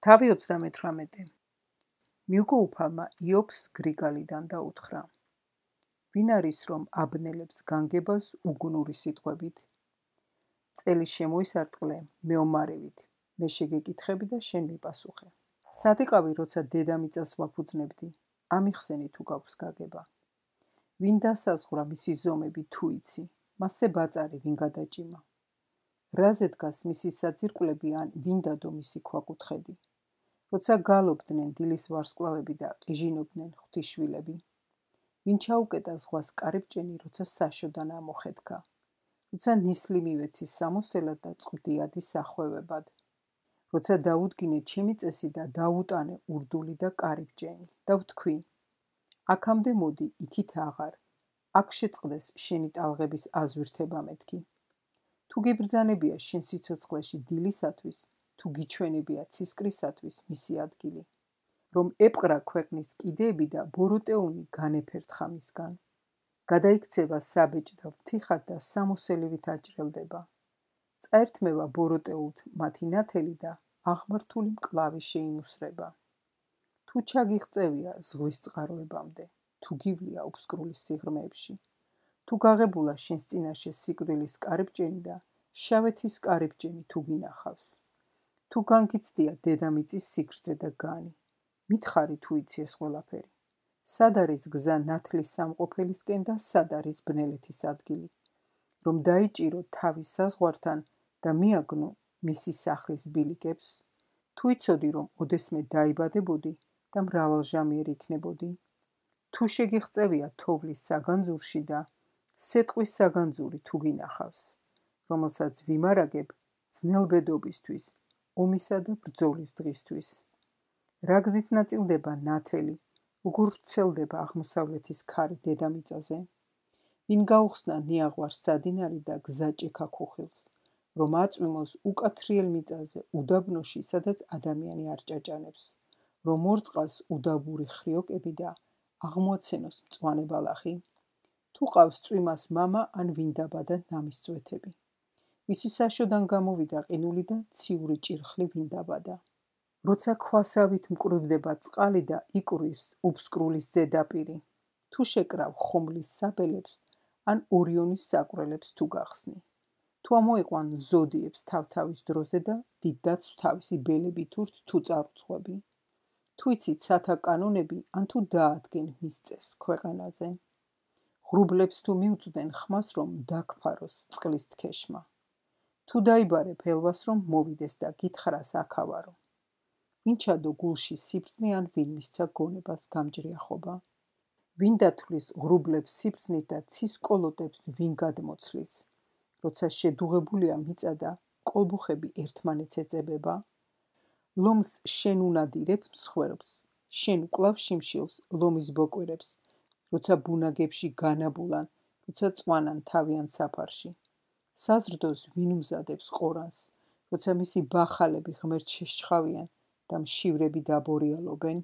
თავი 38. მიუგოუფალმა იობს გრიგალიდან დაუთხრა. ვინ არის, რომ აბნელებს განგებას უგუნური სიტყვებით? წელი შემოისარტყლე მეომარევით, მე შეგეკითხები და შენ მიპასუხე. სად იყავი, როცა დედამიწას ვაფუძნებდი? ამიხსენი თუ გაქვს გაგება. ვინ დასაზღვრა მისი ზომები თუ იცი, მასზე ბაწარი ვინ გადაჭიმა? რაზე დგას მისი საძირკვლები ან ვინ დადო მისი ქვაკუთხედი? როცა გალობდნენ დილის ვარსკვლავები და ყიჟინობდნენ ღვთისშვილები, ვინ ჩაუკეტა ზღვას კარიბჭენი, როცა საშოდან ამოხეთქა, როცა ნისლი მივეცი სამოსელად და წყდიადი სახვევებად, როცა დაუდგინე ჩემი წესი და დაუტანე ურდული და კარიბჭენი და ვთქვი, აქამდე მოდი, იქით აღარ, აქ შეწყდეს შენი ტალღების აზვირთება მეთქი. თუ გიბრძანებია შენ სიცოცხლეში დილისათვის, თუ გიჩვენებია ცისკრისათვის მისი ადგილი, რომ ეპყრა ქვეყნის კიდეები და ბოროტეონი განეფერთხა მისგან. გადაიქცევა საბეჭ და ვთიხად და სამოსელივით აჭრელდება. წაერთმევა ბოროტეულთ მათი ნათელი და აღმართული მკლავი შეიმუსრება. თუ ჩაგიღწევია ზღვის წყაროებამდე, თუ გივლია უფსკრულის სიღრმეებში, თუ გაღებულა შენს წინაშე სიკვდილის კარიბჭენი და შავეთის კარიბჭენი თუ გინახავს, თუ განგიცდია დედამიწის სიგრძე და განი, მითხარი თუ იცი ეს ყველაფერი. სად არის გზა ნათლის სამყოფელისკენ და სად არის ბნელეთის ადგილი, რომ დაიჭირო თავის საზღვართან და მიაგნო მისი სახლის ბილიკებს? თუ იცოდი, რომ ოდესმე დაიბადებოდი და მრავალჟამიერი იქნებოდი? თუ შეგიღწევია თოვლის საგანძურში და სეტყვის საგანძური თუ გინახავს, რომელსაც ვიმარაგებ ძნელბედობისთვის, ომისა და ბრძოლის დღისთვის. რა გზით ნაწილდება ნათელი, როგორ ვრცელდება აღმოსავლეთის ქარი დედამიწაზე? ვინ გაუხსნა ნიაღვარს სადინარი და გზა ჭექა ქუხილს, რომ აწვიმოს უკაცრიელ მიწაზე უდაბნოში, სადაც ადამიანი არ ჭაჭანებს, რომ მორწყას უდაბური ხრიოკები და აღმოაცენოს მწვანე ბალახი? თუ ყავს წვიმას მამა ან ვინ დაბადა ნამის წვეთები, ვისი საშოდან გამოვიდა ყინული და ციური ჭირხლი ვინ დაბადა? როცა ქვასავით მკვრივდება წყალი და იკვრვის უფსკრულის ზედაპირი, თუ შეკრავ ხომლის საბელებს ან ორიონის საკვრელებს თუ გახსნი, თუ ამოიყვან ზოდიებს თავთავის დროზე და დიდდაც თავისი ბელები თუ წარუძღვები, თუ იცით სათა კანონები ან თუ დაადგენ მის წესს ქვეყანაზე, ღრუბლებს თუ მიუწვდნენ ხმას, რომ დაგფაროს წყლის თქეშმა, თუ დაიბარე ფელვას, რომ მოვიდეს და გითხრას აქავარო, ვინ ჩადო გულში სიბრძნე ან ვინ მისცა გონებას გამჭრიახობა? ვინ დათვლის ღრუბლებს სიბრძნით და ცის კოლოტებს ვინ გადმოცლის, როცა შედუღებულია მიწა და კოლბუხები ერთმანეთს ეწებება? ლომს შენ უნადირებ მსხვერპლს, შენ უკლავ შიმშილს ლომის ბოკვირებს, როცა ბუნაგებში განაბულან, როცა წვანან თავიან საფარში. საზრდოს ვინ უმზადებს ყორანს, როცა მისი ბახალები ღმერთს შეშჩხავიან და მშივრები დაბორიალობენ?